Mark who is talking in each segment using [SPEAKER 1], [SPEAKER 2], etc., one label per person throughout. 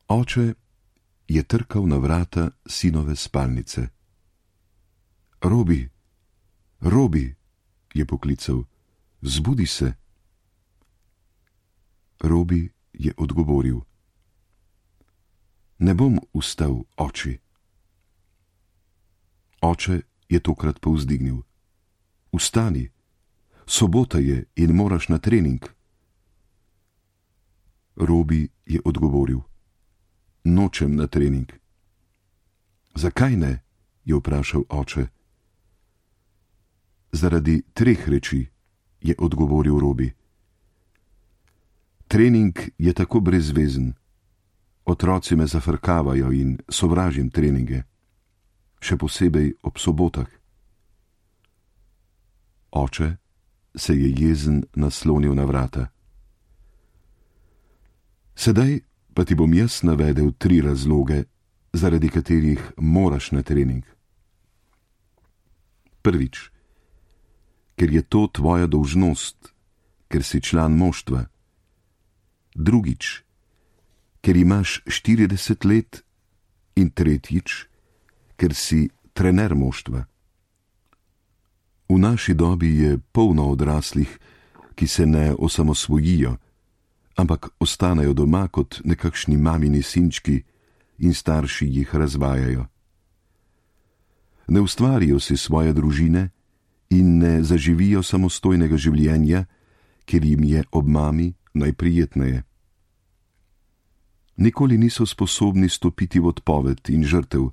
[SPEAKER 1] Oče je trkal na vrata sinove spalnice. Robi, Robi, je poklical, zbudi se. Robi je odgovoril: Ne bom vstal, oči. Oče je tokrat povzdignil: Vstani, sobota je in moraš na trening. Robi je odgovoril: Nočem na trening. Zakaj ne? Je vprašal oče. Zaradi 3 reči, je odgovoril Robi. Trening je tako brezvezen. Otroci me zafrkavajo in sovražim treninge. Še posebej ob sobotah. Oče se je jezen naslonil na vrata. Sedaj pa ti bom jaz navedel 3 razloge, zaradi katerih moraš na trening. Prvič, ker je to tvoja dolžnost, ker si član moštva. Drugič, ker imaš 40 let. In tretjič, ker si trener moštva. V naši dobi je polno odraslih, ki se ne osamosvojijo, ampak ostanejo doma kot nekakšni mamini sinčki in starši jih razvajajo. Ne ustvarijo si svoje družine in ne zaživijo samostojnega življenja, ker jim je ob mami najprijetneje. Nikoli niso sposobni stopiti v odpoved in žrtev,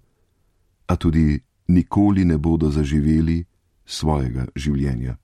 [SPEAKER 1] a tudi nikoli ne bodo zaživeli svojega življenja.